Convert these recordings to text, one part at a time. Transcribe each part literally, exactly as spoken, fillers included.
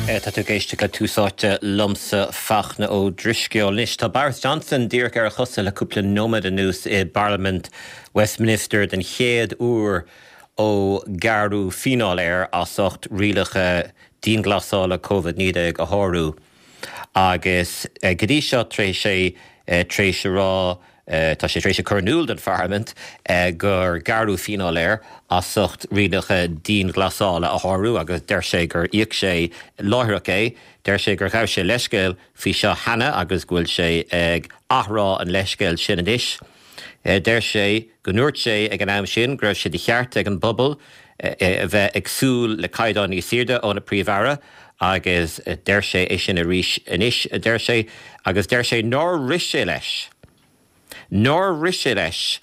Tá tú ag éisteacht le Tús Áite liomsa Fachtna Ó Drisceoil. Anois tá Boris Johnson díreach ar a chosa le cúpla nóiméad anuas i bParlaimint Westminster den chéad uair ó gearradh fíneáil air as ucht rialacha dianghlasála Covid naoi déag a shárú. Agus go dtí seo tar éis sé tar éis a rá tá sé tar éis a chur in iúl don Pharlaimint gur gearradh fíneáil air as ucht rialacha dianghlasála a shárú agus deir sé gur íoc sé láithreach é. Deir sé gur ghabh sé leithscéal faoi seo cheana agus go bhfuil sé ag athrá an leithscéil sin anois. Deir sé go ndúirt sé ag an am sin go raibh sé de cheart ag an bpobal a bheith ag súil le caighdeán níos airde óna Príomh-Aire agus deir sé é sin arís anois, a deir sé, agus deir sé nár rith sé leis. nár rith sé leis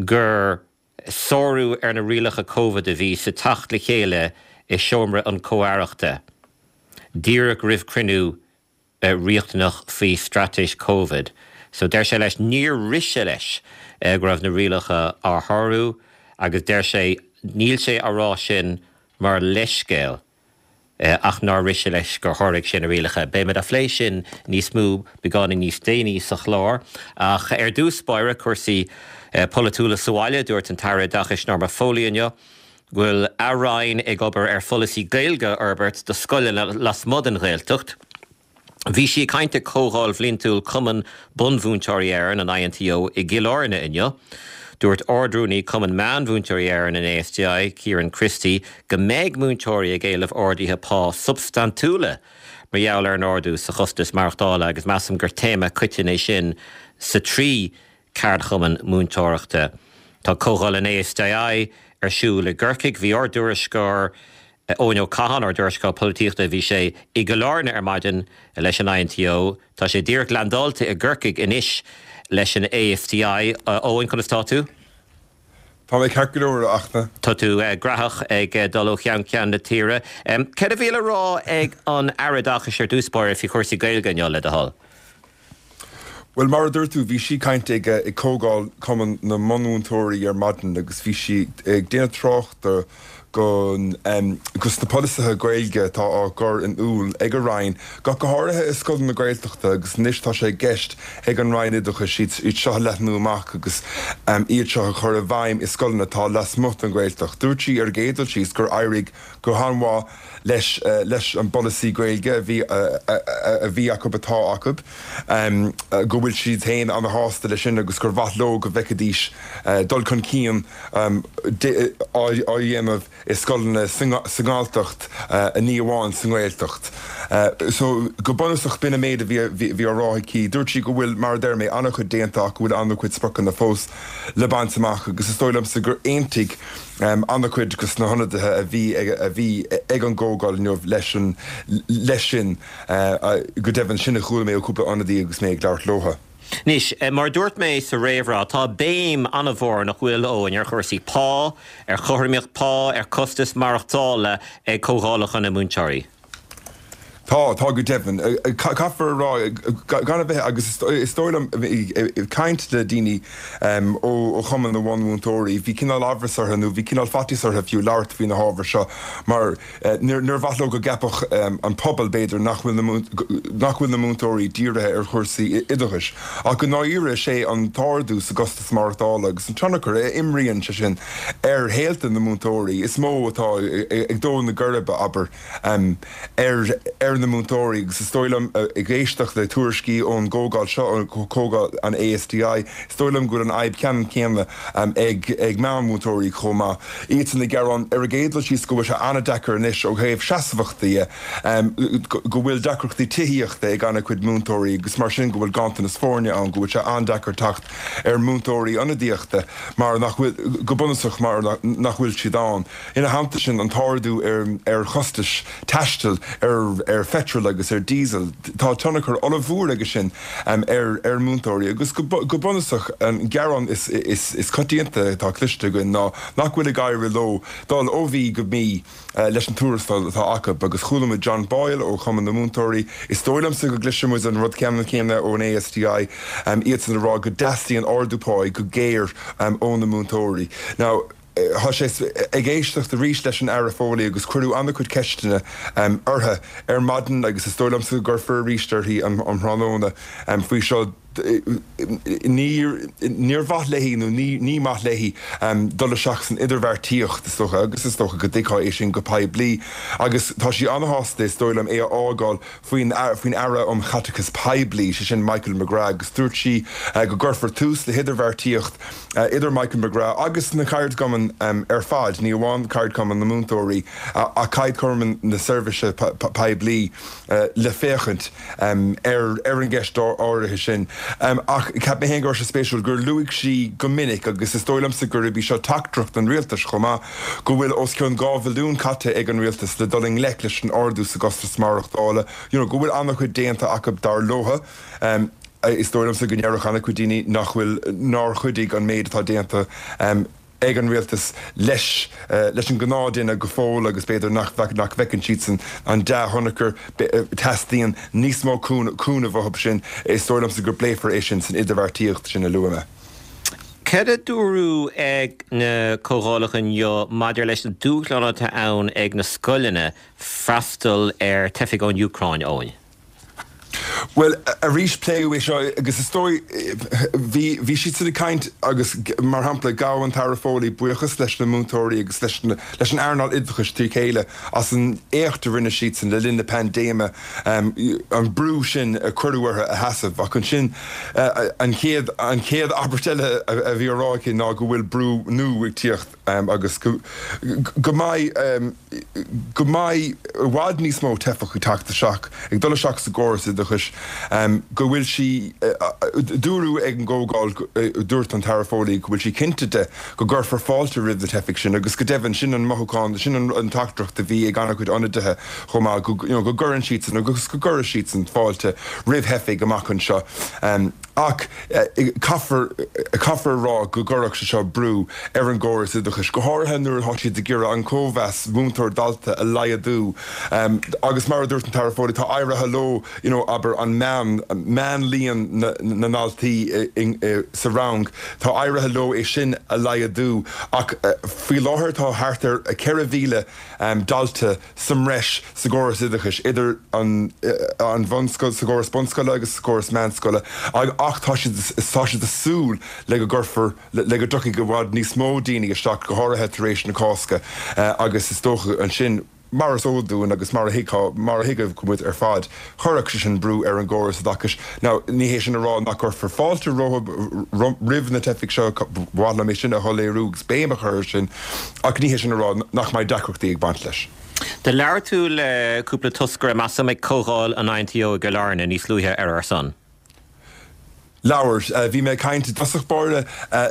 gur sárú ar na rialacha Covid a bhí sa teacht le chéile i seomra an Chomh-Aireachta díreach roimh chruinniú riachtanach faoi straitéis Covid. So deir sé leis níor rith sé leis go raibh na rialacha á shárú agus deir sé níl sé á rá sin mar leithscéal. ach nár rith sé leis gur sháraigh sé na rialacha. Beimid á phlé sin níos mó beagáinín níos déanaí sa chlár. Ach ar dtús báire cúrsaí polaitiúla sa bhaile, dúirt an tAire Oideachais Norma Foley inniu go bhfuil a Roinn ag obair ar pholasaí Gaeilge a fhorbairt do scoileanna lasmuigh den Ghaeltacht. Bhí sí ag caint ag Comhdháil Bhliantúil Chumann Bunmhúinteoirí Éireann, an I N T O, i gCill Airne inniu. Dúirt Ard-Rúnaí Cumann Meánmhúinteoirí Éireann an A S T I, Kieran Christie, go mbeidh múinteoirí ag éileamh arduithe pá substaintiúla mar gheall ar an ardú sa chostas maireachtála agus measaim gur téama coiteann é sin sa trí ceardchumann múinteoireachta. Tá Comhdháil an A S T I ar siúl i gCorcaigh, bhí ár dtuairisceoir Eoin Ó Catháin ár dtuairisceoir polaitíochta bhí sé i gCill Airne ar maidin leis an I N T O, Tá sé díreach landáilte i gCorcaigh anois leis an A S T I. Eoin, conas tá tú? Tá mé ceart go leor achna. Tá tú graitheach ag dul ó cheann ceann na tíre. Céard a bhí le rá ag an Aire Oideachais ar dtús báire faoi chúrsaí Gaeilge inniu le do thoil? Well mar a dúirt tú bhí sí ag caint ag ag Comhdháil Cumann na mBunmhúinteoirí ar maidin agus bhí sí ag déanamh tráchta go gus na polasaithe Gaeilge atá á gcur in iúl ag an Roinn, go go háirithe i scoileanna na Gaeltachta agus anois tá sé i gceist ag an Roinn Oideachais iad seo a leathnú amach agus iad seo a chur i bhfeidhm i scoileanna atá lasmuigh den Ghaeltacht. Dúirt sí ar an gcéad dul síos gur éirigh go han-mhaith leis leis an bpolasaí Gaeilge a bhí a bhí acu atá acu go bhfuil siad féin an-shásta leis sin agus gur mhaith leo go bhfeicfidís dul chun cinn á dhéanamh i scoileanna sa nGalltacht ní amháin sa nGaeltacht. So go bunúsach b'in an méid a bhí á rá aici, dúirt sí go bhfuil mar a deir mé an-chuid déanta ach go bhfuil an-chuid spriocanna fós le baint amach agus is dóigh liomsa gur aontaigh an-chuid de na hionadaithe a bhí a bhí ag an gcomhdháil inniu leis an leis sin go deimhin sin a chuala mé ó cúpla ionadaí agus mé ag labhairt leo. Anois, mar dúirt mé sa réamhrá, tá béim an-mhór nach bhfuil Eoin ar chúrsaí pá, ar chothromaíocht pá, ar costas maireachtála ag comhdhálacha na múinteoirí. Tá tá go deimhin caithfear rá gan a bheith agus is dóigh liom caint le daoine ó Chumann na mBunmhúinteoirí, bhí cineál amhras orthu nó bhí cineál faitíos orthu fiú labhairt faoi na hábhair seo mar níor mhaith leo go gceapfadh an pobal b'fhéidir nach bhfuil nach bhfuil na múinteoirí dírithe ar chúrsaí oideachais. Ach go ndáiríre sé an t-ardú sa gcostas maireachtála agus an tionchar a imríonn sé sin ar shaolta na múinteoirí is mó atá ag dó na geirbe abair ar ar na múinteoirí agus is dóigh liom ag éisteacht le tuairiscí ón gcomhdháil seo comhdháil an A S T I, is dóigh liom go bhfuil an fhadhb ceannann céanna ag ag meánmhúinteoirí chomh maith. Iad san ag gearán ar an gcéad dul síos go bhfuil sé an-deacair anois ó thaobh seasmhachta go bhfuil deacrachtaí tithíochta ag an-chuid múinteoirí agus mar sin go bhfuil ganntanas foirne ann go bhfuil sé an-deacair teacht ar múinteoirí ionadaíochta mar nach bhfuil go bunúsach mar nach bhfuil siad ann. Ina theannta sin an t-ardú ar ar chostais taistil ar ar phetrol agus ar diesel. Tá tionchar ollmhór aige sin ar ar múinteoirí agus go go bunúsach an gearán is is is coitianta atá cloiste againn ná nach bhfuil ag éirí leo dul ó mhí go mí leis an tuarastal atá acu agus chuala muid John Boyle ó Chumann na Múinteoirí is dóigh liomsa go gcloisfidh muid an rud ceannann céanna ón A S T I iad san ag rá go dteastaíonn ardú pá go géar ó na múinteoirí. Now Tá sé ag éisteacht arís leis an Aire Foley agus cuireadh an-chuid ceisteanna uirthi ar maidin agus is dóigh liomsa go gcuirfear arís uirthi um thráthnóna faoi seo. Níor mhaith léi nó ní maith léi dul isteach san idirbheartaíocht is dócha agus is dócha go dtuigfeá é sin go poiblí agus tá sí an-shásta is dóigh liom é a fhágáil faoin faoin Aire um Chaiteachas Poiblí, sé sin Michael McGrath agus dúirt sí go gcuirfear tús le hidirbheartaíocht idir Michael McGrath agus na ceardchumainn ar fad, ní amháin ceardchumann na múinteoirí ach ceardchumann na seirbhíse poiblí le féachaint ar ar an gceist áirithe sin. Ach cheap mé féin go raibh sé spéisiúil gur luaigh sí go minic, agus is dóigh liomsa gurb í seo teachtaireacht an rialtais chomh maith, go bhfuil os cionn dhá bhilliún caite ag an rialtas le dul i ngleic leis an ardú sa gcostas maireachtála, you know, go bhfuil an-chuid déanta acu dar leo. Is dóigh liomsa go ndéarfadh an-chuid daoine nach bhfuil, nár chuidigh an méid atá déanta ag an rialtas leis leis an ngnáthdhuine go fóill agus b'fhéidir nach nach bhfeiceann siadsan an dea-thionchar. Teastaíonn níos mó cúnamh uathu sin. Is dóigh liomsa go bpléifear é sin san idirbheartaíocht sin a luaigh mé. Cad a dúradh ag na comhdhálacha inniu maidir leis na dúshláin atá ann ag na scoileanna freastal ar teifigh ón Úcráin, Eoin? Bhuel, arís pléadh é seo agus is dóigh, bhí, bhí siadsan ag caint agus mar shampla ghabh an tAire Foley buíochas leis na múinteoirí agus leis na, leis an earnáil oideachais trí chéile as an éacht a rinne siadsan le linn na paindéime, an brú sin a cuireadh orthu a sheasamh. Ach ansin an chéad, an chéad abairt eile a bhí á rá aici ná go bhfuil brú nua ag tíocht agus go, go mbeidh, go mbeidh i bhfad níos mó teifeach ag teacht isteach, ag dul isteach sa gcóras oideachais, go bhfuil sí, dúradh ag an gcomhdháil, dúirt an tAire Foley go bhfuil sí cinnte de go gcuirfear fáilte roimh na teifigh sin agus go deimhin sin an mothúchán, sin an teachtaireacht a bhí ag an-chuid ionadaithe chomh maith, go, you know, go gcuireann siadsan agus go gcuirfidh siadsan fáilte roimh theifigh amach anseo. Ach caithfear, caithfear a rá go gcuirfeadh sé seo brú ar an gcóras oideachais, go háirithe nuair atá siad ag iarraidh an cóimheas múinteoir-dalta a laghdú. Agus mar a dúirt an tAire Foley, tá éirithe leo, you know, abair, an meán, meánlíon na ndaltaí sa rang, tá éirithe leo é sin a laghdú. Ach faoi láthair tá thart ar ceithre mhíle dalta sa mbreis sa gcóras oideachais, idir an bhunscoil, sa gcóras bunscoile agus sa gcóras meánscoile, ach tá siad tá siad ag súil le go gcuirfear, le go dtiocfaidh i bhfad níos mó daoine isteach, go háirithe tar éis na Cásca, agus is dócha ansin, mar is eol dúinn agus mar a thuigfeá, mar a thuigfeadh muid ar fad, chuirfeadh sé sin brú ar an gcóras oideachais. Now, ní hé sin a rá nach gcuirfear fáilte roimh na teifigh seo, ba mhaith liom é sin a shoiléiriú agus béim a chur air sin, ach ní hé sin a rá nach mbeidh deacrachtaí ag baint leis. Do labhair tú le cúpla toscaire, measaim, ag comhdháil an INTO i gCill Airne níos luaithe ar ár son. Labhair. Bhí mé ag caint i dtosach báire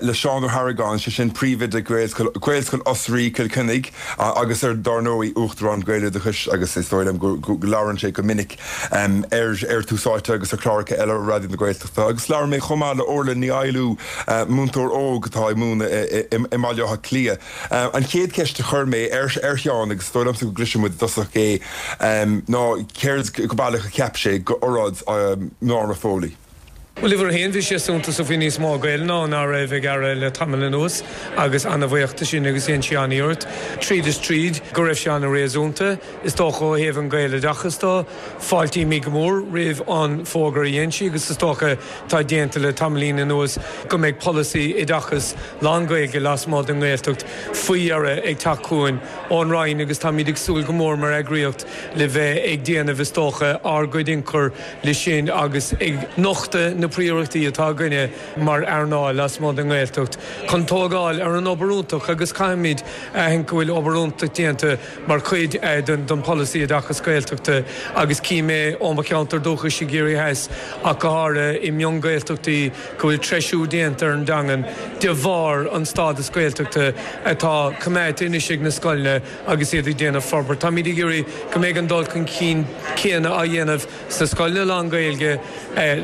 le Seán Ó hArgáin, sé sin príomhoide Ghaelscoil Ghaelscoil Osraí, Cill Chainnigh, agus ar dár ndóigh Uachtarán Gaeloideachais agus is dóigh liom go go labhrann sé go minic ar ar Tús Áite agus ar chláracha eile Raidió na Gaeltachta. Agus labhair mé chomh maith le Orla Ní Éilú, múinteoir óg atá ag múineadh i mBaile Átha Cliath. An chéad cheist a chuir mé ar ar Sheán, agus is dóigh liomsa go gcloisfidh muid i dtosach é, ná céard go baileach a cheap sé d'óráid Norma Foley. Bhuel, uimhir a haon, bhí sé suntasach, bhí níos mó Gaeilge ann ná raibh ag Aire le tamall anuas agus ana-bhuíoch de sin agus dhein sí an-iarracht, tríd is tríd, go raibh sé ana-réasúnta. Is dócha ó thaobh an Ghaeloideachas de, fáiltímid go mór roimh an fógra a dhein sí agus is dócha atá déanta le tamaillín anuas go mbeidh polasaí oideachais lán-Ghaeilge lasmuigh den nGaeltacht faoi dheireadh ag teacht chugainn ón Roinn agus táimid ag súil go mór mar eagraíocht le bheith ag déanamh is dócha ár gcuid ionchur le sin agus ag nochtadh na príorachtaí atá againne mar earnáil lasmuigh den nGaeltacht chun tógáil ar an obair iontach agus caithfimid a aithint go bhfuil obair iontach déanta mar chuid den pholasaí oideachas Gaeltachta agus cím é ó mo cheantar dúchais i gCiarraí Theas ach go háirithe i mion-Ghaeltachtaí go bhfuil treisiú déanta ar an dteangain de bharr an stádas Gaeltachta atá coimeádta anois ag na scoileanna agus iad ag déanamh forbairt. Táimid ag iarraidh go mbeidh an dul chun cinn céanna á dhéanamh sna scoileanna lán-Ghaeilge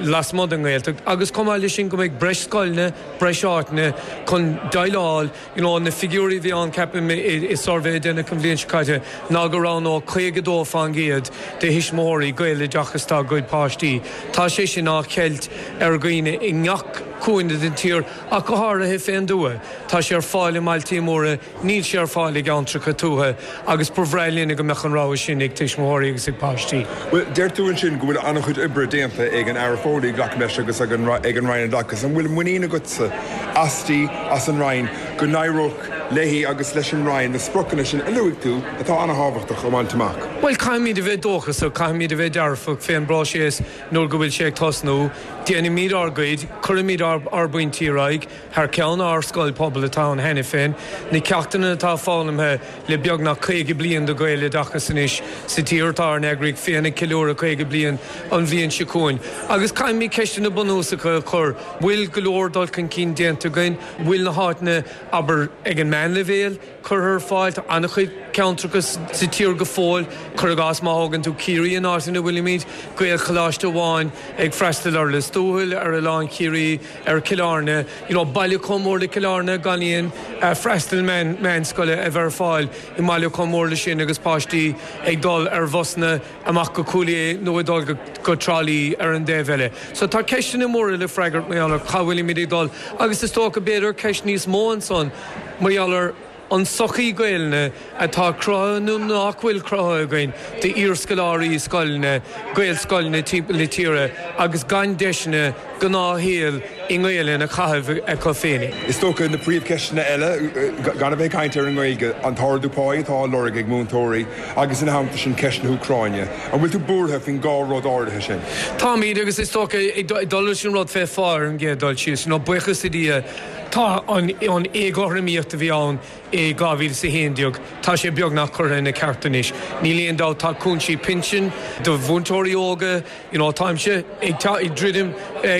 lasmuigh den nGaeltacht agus chomh maith leis sin go mbeidh breis scoileanna, breis áiteanna chun déileáil, you know na figiúirí a bhí ann ceapaim i suirbhé a deineadh an bhliain seo caite ná go roghnódh caoga dó fán gcéad de thuismitheoirí Gaeloideachas dá gcuid páistí. Tá sé sin á cheilt ar dhaoine i ngach. cúinne den tír ach go háirithe fén dtuath. Tá sé ar fáil i mbailtí móra, níl sé ar fáil i gceantracha tuaithe agus ba bhreá linn go mbeadh an rogha sin ag tuismitheoirí agus ag páistí. Bhuel, deir tú ansin go bhfuil an-chuid oibre déanta ag an Aire Foley, glacaim leis, agus ag an ag an Roinn Oideachais. An bhfuil muinín agatsa asti, as an Roinn, go n-éireoidh léi agus leis an Roinn na spriocanna sin a luaigh tú atá an-thábhachtach a bhaint amach? Bhuel, caithfimid a bheith dóchasach, caithfimid a bheith dearfach fén bpróiseas nuair go bhfuil sé ag tosnú. Déanaimid ár gcuid, cuirimid ár ár bpointí ar aghaidh thar ceann ár scoil pobail atá ann cheana féin. Na ceachtanna atá foghlamtha le beagnach caoga bliain de Ghaeloideachas anois sa tír, tá ár n-eagraíocht féin ag ceiliúradh caoga bliain an bhliain seo chugainn. Agus caithfimid ceisteanna bunúsacha a chur, bhfuil go leor dul chun cinn déanta againn? Bhfuil na háiteanna, abair, ag an meánleibhéal curtha ar fáil? Tá an-chuid ceantracha sa tír go fóill, cuir i gcás má thógann tú Ciarraí an áit ina bhfuilimid, Gaelcholáiste amháin ag freastal ar Lios Tuathail, ar Oileán Chiarraí, ar Chill Airne, you know, baile chomh mór le Cill Airne gan aon freastal meánscoile a bheith ar fáil i mbaile chomh mór le sin agus páistí ag dul ar bhusanna amach go Cúil Aodha nó ag dul go Trá Lí ar an dtaobh eile. So tá ceisteanna móra le freagairt mar gheall ar cá bhfuilimid ag dul agus is dócha b'fhéidir ceist níos mó ansan mar gheall ar an sochaí Gaelainne atá cruthaithe nó nach bhfuil cruthaithe againn d'iarscoláirí scoileanna, Gaelscoileanna timpeall na tíre agus gan deiseanna gnáthshaol i nGaelainn a chaitheamh acu féinig. Is dócha na príomhcheisteanna eile, gan a bheith ag caint ar an nGaeilge, an t-ardú páí atá á lorg ag múinteoirí agus ina theannta sin ceist na hÚcráine. An bhfuil tú buartha faoin dhá rud áirithe sin? Táimid agus is dócha ag dul leis an rud fé phá ar an gcéad dul síos, you know, buíochas le Dia, tá an éagothromaíocht a bhí ann i dhá mhíle is a haon déag, tá sé beagnach curtha ina ceart anois. Níl aon dabht, tá cúinsí pinsin do mhúinteoirí óga, you know, táimse ag ag druidim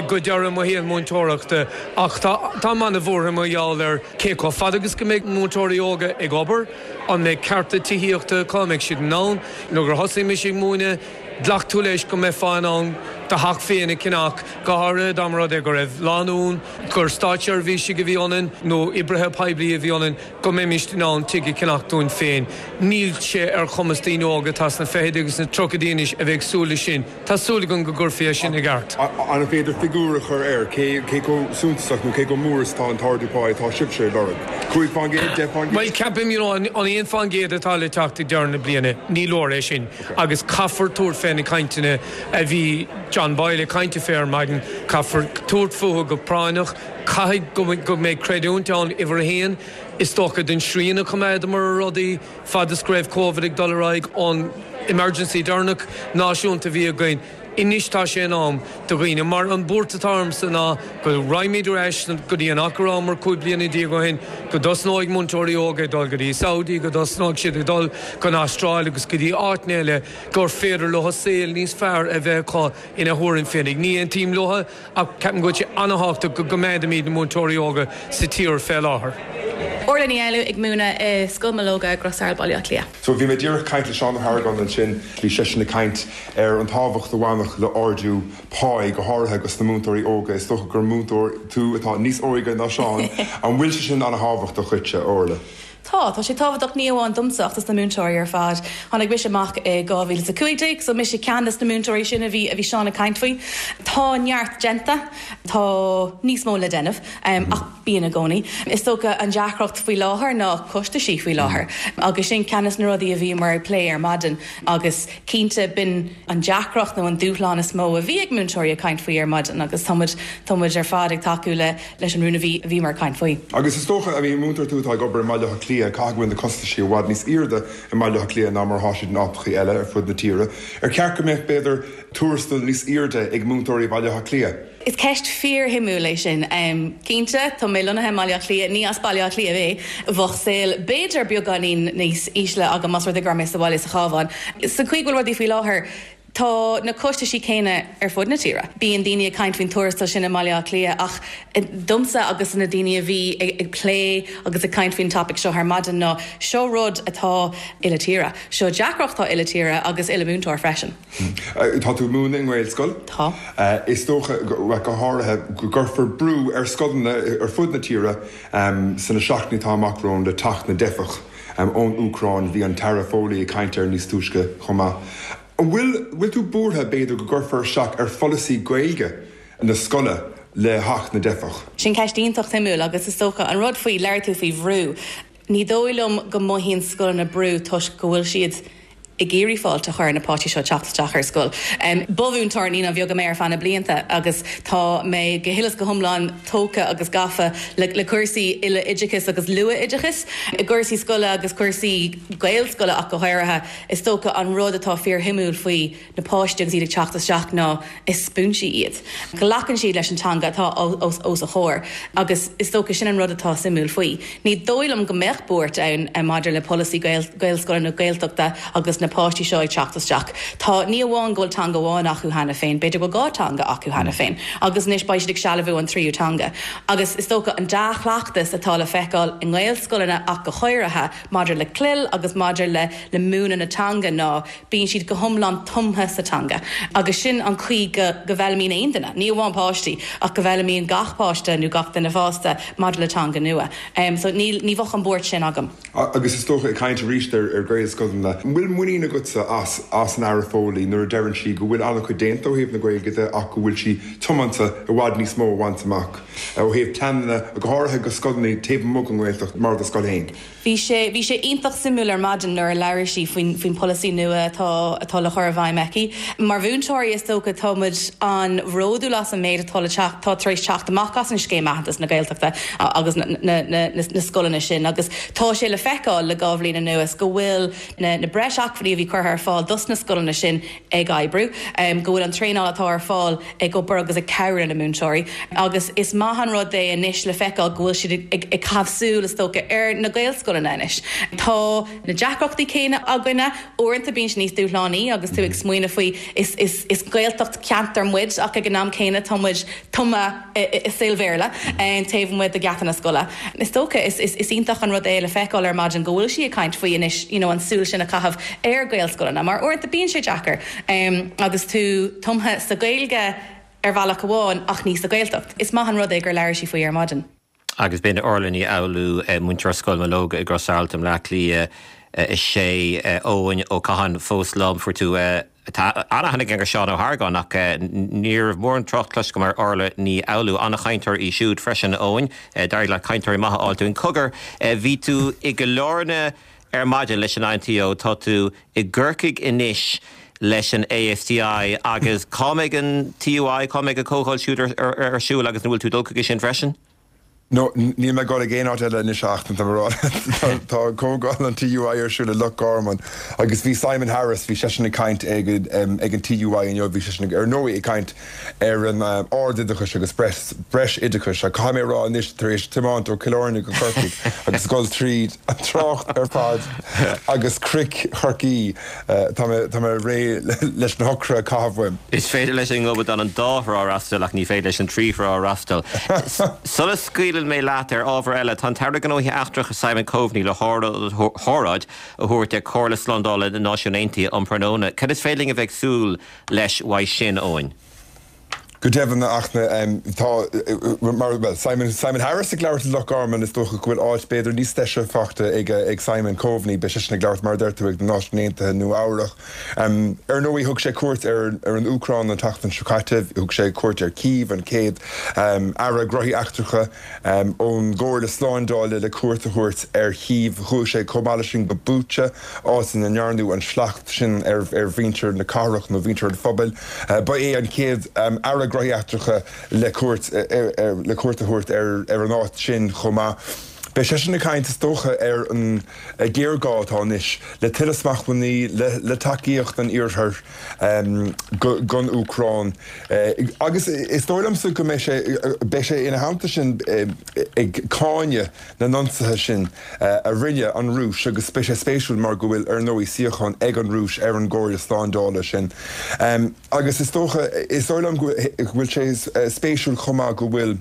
go deireadh mo shaol múinteoireachta ach tá táim an-bhuartha mar gheall ar cé chomh fada agus go mbeidh múinteoirí óga ag obair, an mbeidh cearta tithíochta acu, an mbeidh siad in ann, nuair gur thosaigh mise ag múineadh, Ghlac tú leis go mbeifeá in ann do theach féin a cheannach, go háirithe dá mba rud é go raibh lánúin, gur státseirbhísigh a bhí ionainn nó oibrithe poiblí a bhí ionainn, go mbeimis in ann tigh a cheannach dúinn féin. Níl sé ar chumas daoine óga atá sna fichidí agus sna tríochaidí anois a bheith ag súil leis sin. Tá súil agam go gcuirfí é sin i gceart. An féidir figiúr a chur air, cé chomh suntasach nó cé chomh mór is atá an t-ardú pá atá sibhse ag lorg? Cúig faoin gcéad? Deich faoin gcéad? Bhuel, ceapaim, you know, an aon faoin gcéad atá le teacht ag deireadh na bliana, ní leor é sin agus caithfear tabhairt fé na cainteanna a bhí John Boyle ag caint fé ar maidin, caithfear tabhairt fúthu go práinneach, caithfidh go go mbeidh creidiúint ann, uimhir a haon, is dócha, don srian a choimeádamar ar rudaí fad is go raibh Covid ag dul ar aghaidh, an emergency deireanach náisiúnta a bhí againn. Anois tá sé in am do dhaoine, mar an buairt atá ormsa ná go raghaimid ar ais go dtí an áit a rabhamar cúig bliana déag ó shin, go dtosnóidh múinteoirí óga ag dul go dtí Saudi, go dtosnóidh siad ag dul go an Astráil agus go dtí áiteanna eile gur féidir leo saol níos fearr a bheith acu ina thuairim féinig. Ní aontaím leo ach ceapaim go bhfuil sé an-thábhachtach go gcoimeádaimid na múinteoirí óga sa tír fé láthair. Orla Ní Fhoghlú ag múineadh i Scoil Mológa, Gros Araild, Baile Átha Cliath. So bhí mé díreach ag caint le Seán Ó hArgáin ansin, bhí seisean ag caint ar an tábhacht a bhainfeadh le ardú páí, go háirithe dos na múinteoirí óga. Is dócha gur múinteoir tú atá níos óige ná Seán. An bhfuil sé sin an-thábhachtach dhuitse, Orla? Tá, tá sé tábhachtach ní amháin domsa ach dos na múinteoirí ar fad. Tháinig mise amach i dhá mhíle is a cúig déag, so mise ceann des na múinteoirí sin a bhí a bhí Seán ag caint faoi. Tá neart déanta, tá níos mó le déanamh, ach bíonn i gcónaí. Is dócha an deacracht faoi láthair ná costaisí faoi láthair agus sin ceann des na rudaí a bhíomar ag plé ar maidin agus cinnte b'in an deacracht nó an dúshlán is mó a bhí ag múinteoirí ag caint faoi ar maidin agus tá muid tá muid ar fad ag tacú le leis an rún a bhí a bhíomar ag caint faoi. Agus is dócha, I mean, múinteoir tú atá ag obair i mBaile Átha Cliath, caithfidh go bhfuil na costaisí i bhfad níos airde i mBaile Átha Cliath ná mar atá siad in áiteachaí eile ar fud na tíre. Ar cheart go mbeadh, b'fhéidir, tuarastal níos airde ag múinteoirí Bhaile Átha Cliath? Is ceist fíorshuimiúil é sin. Cinnte, tá mé lonnaithe i mBaile Átha Cliath, ní as Baile Átha Cliath mé, bheadh saol b'fhéidir beagáinín níos ísle agam más rud é go raibh mé sa bhaile sa Chabhán. Sa chaoi go bhfuil rudaí faoi láthair, tá na costaisí céanna ar fud na tíre. Bíonn daoine ag caint faoin tuarastal sin i mBaile Átha Cliath ach domsa agus na daoine a bhí ag plé agus ag caint faoin topaic seo ar maidin ná seo rud atá uile tíre. Seo deacracht atá uile tíre agus uile múinteoir freisin. Tá tú ag múineadh i nGaelscoil. Tá. Is dócha, go háirithe, go gcuirfear brú ar scoileanna ar fud na tíre sna seachtainí atá amach romhainn le teacht na dteifeach ón Úcráin. Bhí an tAire Foley ag caint air níos túisce chomh maith. An bhfuil bhfuil tú buartha, b'fhéidir, go gcuirfear isteach ar pholasaí Gaeilge na scoile le hAcht na dTeifeach? Sin ceist iontach suimiúil agus is dócha an rud faoi labhair tú faoi bhrú. Ní dóigh liom go mothaíonn scoileanna brú toisc go bhfuil siad ag iarraidh fáilte a chur na páistí seo teacht isteach ar scoil. Um, Ba mhúinteoir naíonáin bheaga mé ar feadh na blianta agus tá mé go huile is go hiomlán tógtha agus gafa le, le cúrsaí uile oideachais agus luath-oideachais, i gcúrsaí scoile agus cúrsaí Gaelscoile ach go háirithe is dócha an rud atá fíorshuimiúil faoi na páistí agus iad ag teacht isteach ná is spúinsí iad. Glacann siad leis an teanga atá os, os a chomhair agus is dócha sin an rud atá suimiúil faoi. Ní dóigh liom go mbeadh buairt ann eh, maidir le polasaí Gaelscoile nó Gaeltachta agus na páistí seo ag teacht isteach. Tá ní amháin go bhfuil teanga amháin acu cheana féin, b'fhéidir go dhá teanga acu cheana féin, agus anois beidh siad ag sealbhú an tríú teanga. Agus is dócha an dea-chleachtas atá le feiceáil i nGaelscoileanna ach go háirithe maidir le CLIL agus maidir le le múineadh na teanga ná bíonn siad go hiomlán tumtha sa teanga. Agus sin an chaoi go go bhfoghlaimíonn aon duine, ní amháin páistí ach go bhfoghlaimíonn gach páiste nó gach duine fásta maidir le teanga nua. Um, so ní ní bheadh an buairt sin agam. Agus is dócha ag caint arís ar ar Gaelscoileanna. Bhfuil muinín agatsa as as an Aire Foley nuair a deireann sí go bhfuil an-chuid déanta ó thaobh na Gaeilge de ach go bhfuil sí tiomanta i bhfad níos mó a bhaint amach ó thaobh pleananna go háirithe go scoileanna taobh amuigh den Ghaeltacht mar do scoil féin. Bhí sé bhí sé iontach suimiúil ar maidin nuair a labhair sí faoin faoin polasaí nua atá atá le chur i bhfeidhm aici. Mar mhúinteoirí is dócha táimid an-bhródúil as an méid atá le teacht tá tar éis teacht amach as an scéim aitheantas na Gaeltachta agus na, na, na, na, na scoileanna sin agus tá sé le feiceáil le dhá bhliain anuas go bhfuil na, na breis acmhainní a bhí curtha ar fáil dos na scoileanna sin ag oibriú, um, go bhfuil an traenáil atá ar fáil ag obair agus ag cabhrú na múinteoirí. agus is maith an rud é anois le feiceáil go bhfuil siad ag, ag caitheamh súil is dócha ar na Gaelscoileanna anois. Tá na deacrachtaí céanna againne uaireanta bíonn sé níos dúshlánaí agus tú ag smaoineamh faoi is, is, is Gaeltacht ceantar muid ach ag an am céanna tá muid tumtha i saol Béarla taobh amuigh de gheata na scoile. Is dócha is, is, is iontach an rud é le feiceáil ar maidin go bhfuil sí ag caint faoi anois you know, an súil sin a chaitheamh ar Gaelscoileanna, mar uaireanta bíonn sé deacair um, agus tú tumtha sa Ghaeilge ar bhealach amháin ach ní sa Ghaeltacht. Is maith an rud é gur labhair sí faoi ar maidin. Agus b'in Orla Ní Fhoghlú múinteoir Scoil Mológa i gCros Aralt i mBleá Cliath is sé Eoin Ó Catháin fós liom fuair tú an-aithne ar Seán Ó hArgáin ach ní raibh mórán trácht cloiste agam ar Orla Ní Fhoghlú an-chainteoir í siúd freisin Eoin, d'éirigh le cainteoirí maithe a fháil dúinn. Cogar bhí tú i gCill Airne ar maidin leis an I N T O tá tú i gCorcaigh anois leis an A S T I agus cá mbeidh an T U I cá mbeidh an chomhdháil siúd ar siúl agus an bhfuil tú ag dul chuige sin freisin? No, níl mé ag aon áit eile anois ach rá tá comhdháil an T U I ar siúl i Loch Garman agus bhí Simon Harris bhí seisean ag caint ag ag an T U I inniu bhí seisean ar ndóigh ag caint ar an um, ardoideachas agus breis breis oideachais a caithfidh mé rá anois tar éis tiomáint ó Chill Airne go Corcaigh agus dul tríd an trácht ar fad agus Cnoic Chorcaí uh, tá mé réidh leis na hocra caitheamh. Is féidir leis an ngobadán an dá thrá a fhreastal ach ní féidir leis an trí thrá a fhreastal. Sula scaoileann mé leat ar ábhar eile tá an tAire Gnóthaí Eachtracha Simon Coveney le hóráid a thabhairt ag Comhairle Slándála na Náisiún Aontaithe um thráthnóna. Cad is féidir linn a bheith ag súil leis uaidh sin Eoin? Go deimhin ach tá mar well Simon Simon Harris ag labhairt Loch Garman is dócha go bhfuil áit b'fhéidir níos deise fachta ag ag Simon Coveney be sin ag labhairt mar deir tú ag na Náisiúin Aontaithe nó áireach. Um, ar ndóigh thug sé cuairt ar ar an Úcráin an tseachtain seo caite, thug sé cuairt ar Kiev an chéad um, aire gnóthaí eachtracha um, ón gComhairle Slándála le cuairt a thabhairt ar Kiev chuaigh sé chomh maith sin go Bucha áit ina ndearnadh an sliocht sin ar ar mhuintir na cathrach nó mhuintir an phobail. Uh, ba é an chéad um, aire gnóthaí eachtracha le cuairt le cuairt a thabhairt ar ar an áit sin chomh maith. Beidh sé sin ag caint is dócha ar an géarghá atá anois le tuilleadh smachtbhannaí le, le tacaíocht an iarthar um, don Úcráin. Uh, agus is dóigh liomsa go mbeidh sé beidh sé ina theannta sin uh, ag cáineadh na n-ionsaithe sin uh, a rinne an Rúis agus beidh sé spéisiúil mar go bhfuil ar ndóigh suíochán ag an Rúis ar an gComhairle Slándála sin. Um, agus is dócha is dóigh liom go bhfuil sé spéisiúil chomh maith go bhfuil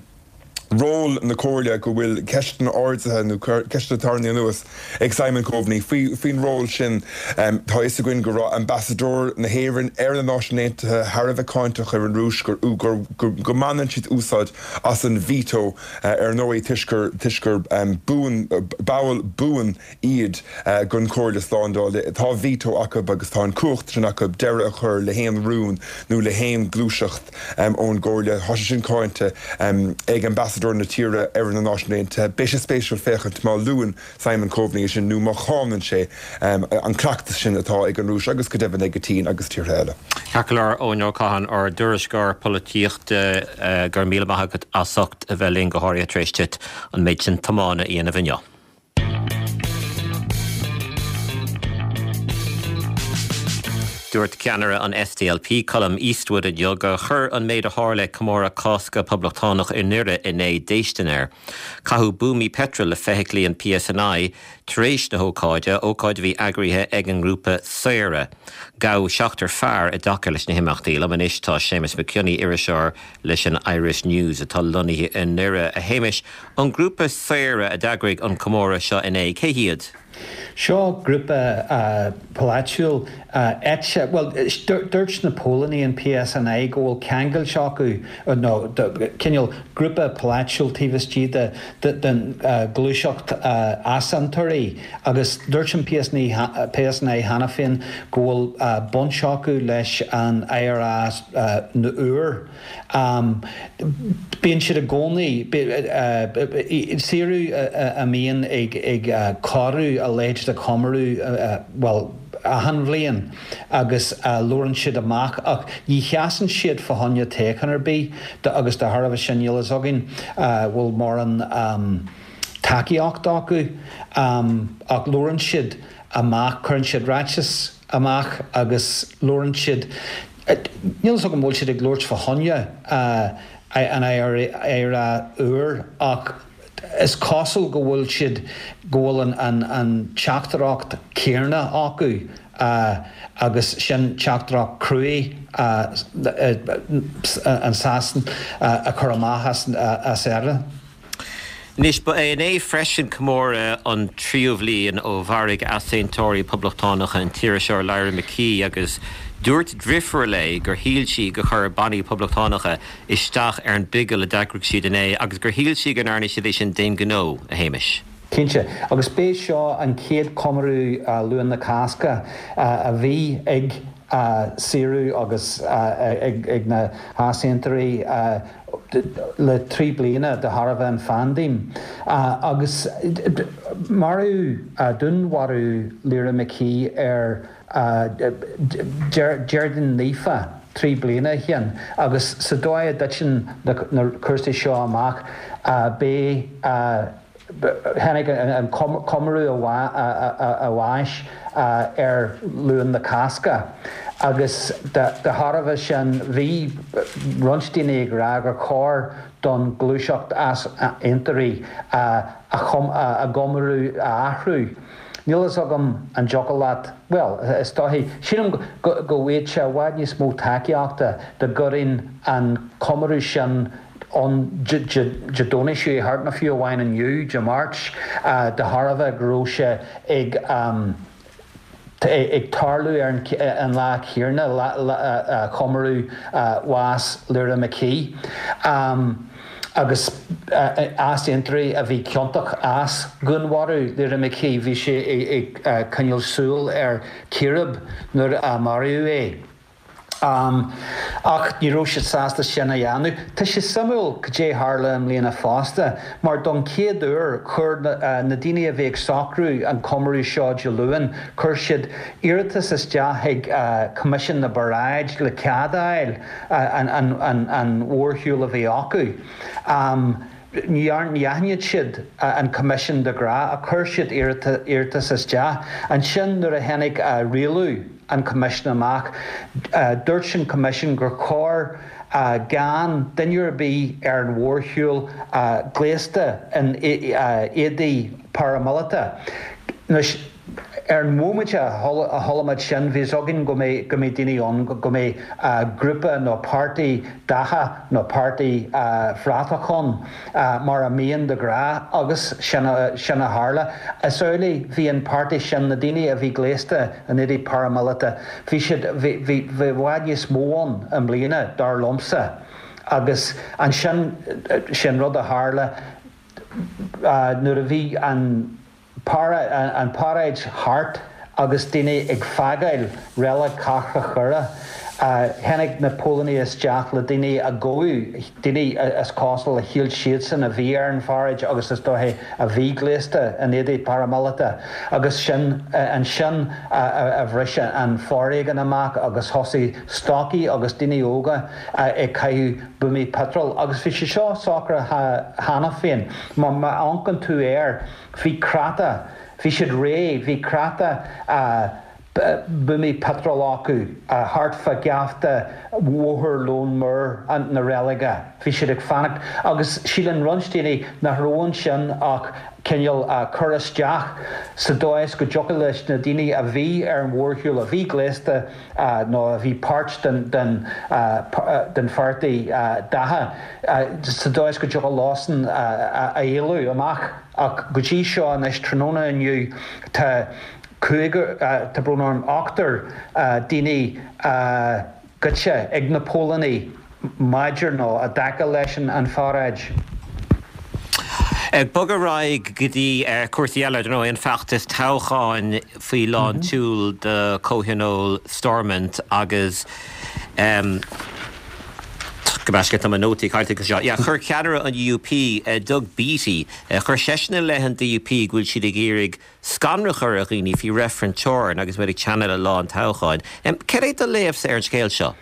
ról na Comhairle go bhfuil ceisteanna ardaithe nó ceisteanna tarraingthe anuas ag Simon Coveney faoin ról sin um, tá fhios againn go raibh ambasadóir na hÉireann ar na Náisiúin Aontaithe thar a bheith cáinteach ar an Rúis gur gur go mbaineann siad úsáid as an veto uh, ar ndóigh toisc gur toisc gur um, buan ball buan iad uh, den Chomhairle Slándála tá veto acu agus tá an cumhacht sin acu deireadh a chur le haon rún nó le haon ghluaiseacht um, ón gComhairle tá sin cáinte um, ag ambasadóir na tíre ar na Náisiúin Aontaithe. Beidh sé spéisiúil féachaint má luann Simon Coveney sin nó má cháineann sé um, an cleachtas sin atá ag an Rúis agus go deimhin ag an tSín agus tíortha eile. Cealar ó Cathan ár dtuairisceoir polaitíochta uh, gur míle maith agat as ucht a bheith linn go háirithe tar éis duit an méid sin tiomána a dhéanamh inniu. Dúirt ceannaire an SDLP Colum Eastwood inniu gur chuir an méid a tharla ag comóradh Cásca Poblachtánach i nDoire inné déistin air. Caitheadh buamaí peitril le feithiclí an PSNI tar éis na hócáide, ócáid a bhí eagraithe ag an ngrúpa Saoradh. Gabhadh seachtar fear i dtaca leis na himeachtaí. Liom anois tá Séamus Mac Cionnaith iriseoir leis an Irish News atá lonnaithe i nDoire. A Shéamais, an grúpa Saoradh a d'eagraigh an comóradh seo inné cé hiad? Seo grúpa polaitiúil eite well dúirt na póilíní an PSNI go bhfuil ceangal acu nó cineál grúpa polaitiúil taobh istigh de den gluaiseacht easaontóirí agus dúirt an PSNI PSNI cheana féin go bhfuil baint acu leis an IRA úr. Bíonn siad i gcónaí Saoradh a mbíonn ag ag cóiriú a leithéid de chomóradh well achan bhliain agus labhrann siad amach ach ní sheasann siad fá choinne toghchán ar bith agus de thairbhe sin níl a fhios againn bhfuil mórán tacaíocht acu ach labhrann siad amach cuireann siad ráiteas amach agus labhrann siad níl a fhios agam bhfuil siad ag labhairt fá choinne an IRA úr ach is cosúil go bhfuil siad go bhfuil an an an teachtaireacht céanna acu agus sin teachtaireacht cruaidh an Sasain a chur amach as as Éire. Anois ba é inné freisin comóradh an tríú bhliain ó mharaigh easaontóirí poblachtánacha an t-iriseoir Lyra McKee agus dúirt deirfiúr léi gur shíl sí gur chuir bannaí poblachtánacha isteach ar an bhigil a d'eagraigh siad inné agus gur shíl sí go ndearna siad é sin d'aon ghnó, a Shéamais. Cinnte, agus b'é seo an chéad chomóradh Luan na Cásca a bhí ag Saoradh agus ag na heasaontóirí le trí bliana de thairbhe an phaindéim. Agus maraíodh dúnmharú Lyra McKee ar Déardaoin Naofa trí bliana ó shin agus sa dóigh a dtiteann na cúrsaí seo amach b'é Tháinig an comóradh a bháis ar Luan na Cásca agus de thairbhe sin bhí roinnt daoine ag rá gur chóir don ghluaiseacht easaontóirí a gcomóradh a athrú. Níl fhios agam an dtiocfadh leat, bhuel, is dóichí, sílim go bhfaigheadh sé i bhfad níos mó tacaíochta dá gcuirfinn an comóradh sin ann Dé Domhnaigh seo thart nó fiú amháin inniu, Dé Máirt, de thairbhe go raibh sé ag ag tarlú ar an lá céanna le comóradh bhás Lyra McKee. Agus easaontóirí a bhí ciontach as dhúnmharú Lyra McKee, bhí sé ag coinneáil súil ar chíréib nuair a maraíodh é. Ach ní raibh siad sásta sin a dhéanamh. Tá sé suimiúil cad é tharla i mbliana fosta, mar don chéad uair chuir na daoine a bhí ag socrú an comóradh seo Dé Luain, chuir siad iarratas isteach chuig Coimisiún na bParáid le cead a fháil an mhórshiúl a bhí acu. Ní aithníonn siad an Coimisiún de ghnáth ach chuir siad iarratas isteach. Ansin nuair a tháinig rialú an Choimisiúin amach, dúirt an Coimisiún gur chóir gan duine ar bith ar an mhórshiúl gléasta in éadaí paraimíleata. Anois, Ar an móimint a chuala muid sin, bhí a fhios againn go mbeidh go mbeidh daoine ann, go mbeidh grúpa nó páirtí datha nó páirtí bhratach ann, mar a mbíonn de ghnáth, agus sin sin a tharla. Is amhlaidh, bhí an páirtí sin, na daoine a bhí gléasta in éadaí paraimíleata, bhí siad, bhí bhí bhí i bhfad níos mó ann i mbliana, dar liomsa. Agus ansin, sin rud a tharla nuair a bhí an. an pharáid thart agus daoine ag fágáil Reilig Cathrach Dhoire, tháinig na póilíní isteach le daoine a gabhadh, daoine is cosúil a shíl siadsan a bhí ar an pharáid agus is dóiche a bhí gléasta in éadaí paraimíleata agus sin ansin a bhris an foréigean amach agus thosaigh stocaí agus daoine óga ag caitheamh buamaí peitril agus bhí sé seo socraithe cheana féin. Má amharcann tú air. Bhí crata, bhí siad réidh, bhí crata buamaí peitril acu thart fá gheafta Bhóthar Lón Mór na reilige. Bhí siad ag fanacht agus síleann roinnt daoine nach raibh ansin ach cineál cur isteach sa dóigh is go dtiocfadh leis na daoine a bhí ar an mhórshiúl, a bhí gléasta nó a bhí páirt den den pháirtí datha, sa dóigh is go dtiocfadh leosan a éalú amach. Ach go dtí seo anois, tráthnóna inniu, tá cúigear, tá brón orm, ochtar daoine goidte ag na póilíní maidir nó i dtaca leis an pharáid. Ag bogadh ar aghaidh go dtí cúrsaí eile, ar ndóigh, an feachtas toghcháin faoi lán tseoil do Chomhthionól Stormont agus Gabh mo leithscéal, tá mo nótaí caillte anseo. Yeah, chuir ceannaire an U U P, Doug Beattie, chuir seisean i leith an D U P go bhfuil siad ag iarraidh scanradh a chur ar dhaoine faoi reifreann teorann agus muid ag teannadh le lá an toghcháin. Cad é do léamhsa ar an scéal seo?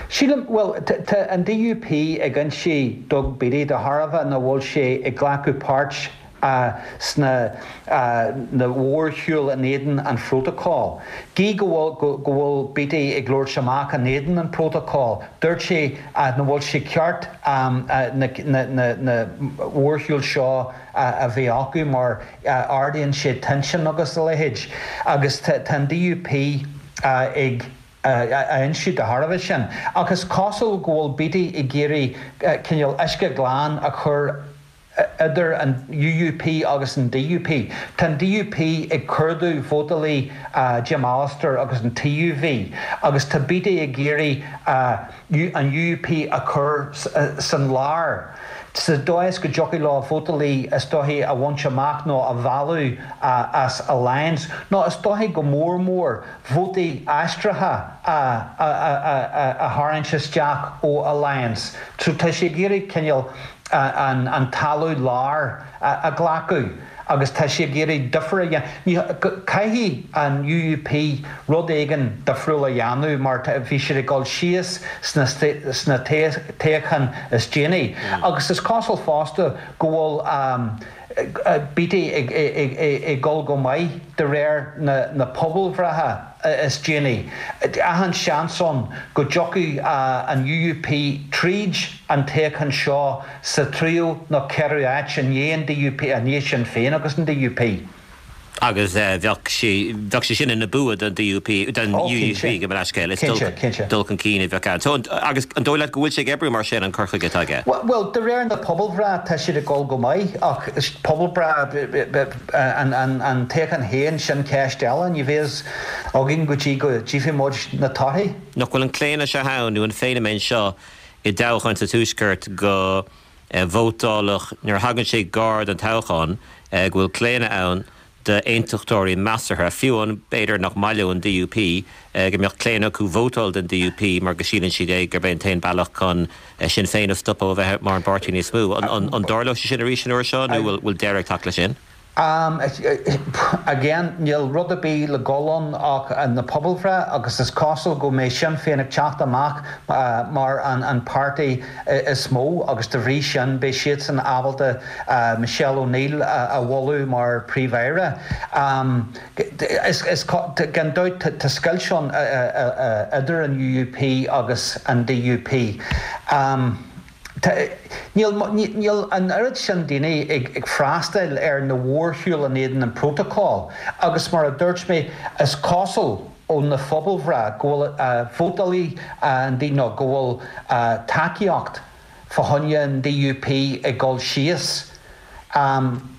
Sílim, bhuel, tá an D U P ag ionsaí Doug Beattie de thairbhe nach bhfuil sé ag glacadh páirt sna na mhórshiúil in éadan an phrótacail. Gí go bhfuil go bhfuil Beattie ag labhairt amach in éadan an phrótacail, dúirt sé nach bhfuil sé ceart na na mhórshiúil seo a bheith acu mar ardaíonn sé tension agus a leithéid. Agus tá an D U P ag a ionsaí de thairbhe sin. Ach is cosúil go bhfuil Beattie ag iarraidh cineál uisce glan a chur idir an U U P agus an D U P. Tá an D U P ag cuardú vótálaí Jim Allister agus an T U V agus tá Beattie ag iarraidh an U U P a chur san lár sa dóigh is go dtiocfaidh leo vótálaí is dóichí a bhaint amach nó a mhealladh as Alliance nó is dóichí go mór mór vótaí aistrithe a a tharraingt isteach ó Alliance. So tá sé ag iarraidh cineál an talamh láir a ghlacadh agus tá sé ag iarraidh difear a dhéanamh. Caithfidh an U U P rud éigin difriúil a dhéanamh mar bhí siad ag dul síos sna sna toghcháin is déanaí. Agus is cosúil fosta go bhfuil Beattie ag dul go maith de réir na pobalbhreithe is déanaí. Achan seans ann go dtiocfaidh an U U P tríd an toghchán seo sa tríú nó ceathrú áit i ndiaidh an D U P, i ndiaidh Sinn Féin agus an D U P. Agus bheadh sé bheadh sé sin ina bua don D U P, don U U P, gabh mo leithscéal, is dul chun cinn a bheadh ann. So agus an dóigh leat go bhfuil sé ag oibriú mar sin, an cur chuige atá aige? Bhuel, de réir na pobalbhreithe tá siad ag dul go maith ach pobalbhreith an toghchán féin, sin ceist eile, ní bheidh a fhios againn go dtí go dtchífidh muid na torthaí. Nach bhfuil an claonadh seo ann nó an feiniméan seo i dtoghcháin sa Tuaisceart go vótálfadh nuair a thagann sé gar don toghchán go bhfuil claonadh ann d'aontachtóirí measartha, fiú an b'fhéidir nach maith leo an D U P, go mbeadh claonadh acu vótáil don D U P mar go síleann siad é gurb é an t-aon bealach chun Sinn Féin a stopadh ó bheith mar an bpáirtí níos mó. An dtarlóidh sé sin arís an uair seo nó bhfuil deireadh ag teacht leis sin? Again, níl rud ar bith le dul ann ach na pobalbhreith agus is cosúil go mbeidh Sinn Féin ag teacht amach mar an páirtí is mó agus de bhrí sin beidh siadsan ábalta Michelle O'Neill a mholadh mar Príomh-Aire. Gan dabht tá scoilt ann idir an U U P agus an D U P. Níl níl an oiread sin daoine ag ag freastal ar na mórshiúil in éadan an protocol agus mar a dúirt mé is cosúil ó na pobalbhreith go bhfuil vótálaí an daoine go bhfuil tacaíocht fá choinne an DUP ag dul síos. Um,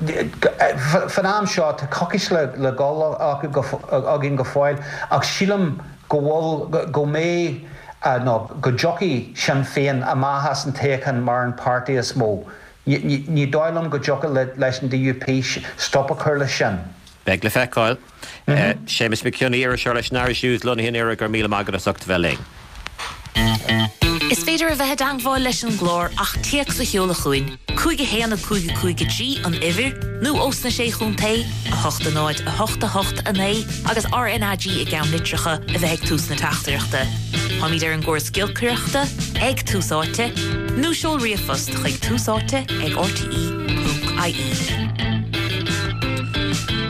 Fan am seo tá coicís le le dul againn go fóill ach sílim go bhfuil go mbeidh nó go dtiocfaidh Sinn Féin amach as an toghchán mar an páirtí is mó. Ní dóigh liom go dtiocfadh leis an DUP stop a chur leis sin. Beidh le feiceáil. Séamus Mac Cionnaith iriseoir leis an Irish News lonnaithe i nDoire go raibh míle maith agat as ucht a bheith linn. Is féidir a bheith i dteagmháil leis an gclár ach téacs a sheoladh chugainn, cúig a haon a cúig a cúig a trí an uimhir, nó ós na sé chontae a hocht a náid a hocht a hocht a naoi agus RNAG i gceannlitreacha a bheith ag tús na teachtaireachta. Táimid ar an gcóras giolcaireachta ag Tús Áite, nó seol ríomhphost chuig tús áite ag rte.ie.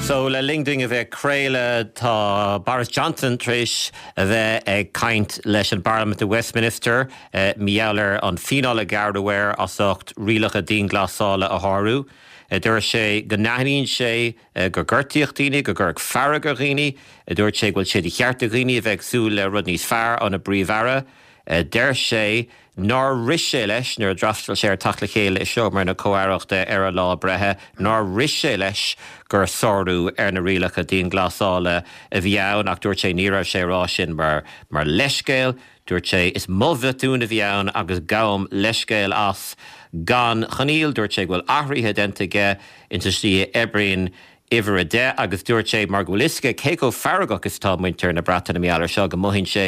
So le linn dúinn a bheith ag craoladh tá Boris Johnson tar éis a bheith ag caint leis an bParlaimint i Westminster mar gheall ar an bhfíneáil a gearradh air as ucht rialacha dianghlasála a shárú. Dúirt sé go n-aithníonn sé gur gortaíodh daoine, go gcuireadh fearg ar dhaoine, dúirt sé go bhfuil sé de cheart ag daoine a bheith ag súil le rud níos fearr óna bPríomh-Aire. Deir sé nár rith sé leis nuair a d'fhreastail sé ar teacht le chéile i seomra na Comh-Aireachta ar a lá breithe, nár rith sé leis gur sárú ar na rialacha dianghlasála a bhí ann ach dúirt sé ní raibh sé rá sin mar mar leithscéal, dúirt sé is mo bhotún a bhí ann agus gabhaim leithscéal as gan choinníoll, dúirt sé go bhfuil athruithe déanta aige insa tslí a oibríonn uimhir a deich agus dúirt sé mar go bhfuil a fhios aige cé chomh feargach is atá muintir na Breataine mar gheall air seo go mothaíonn sé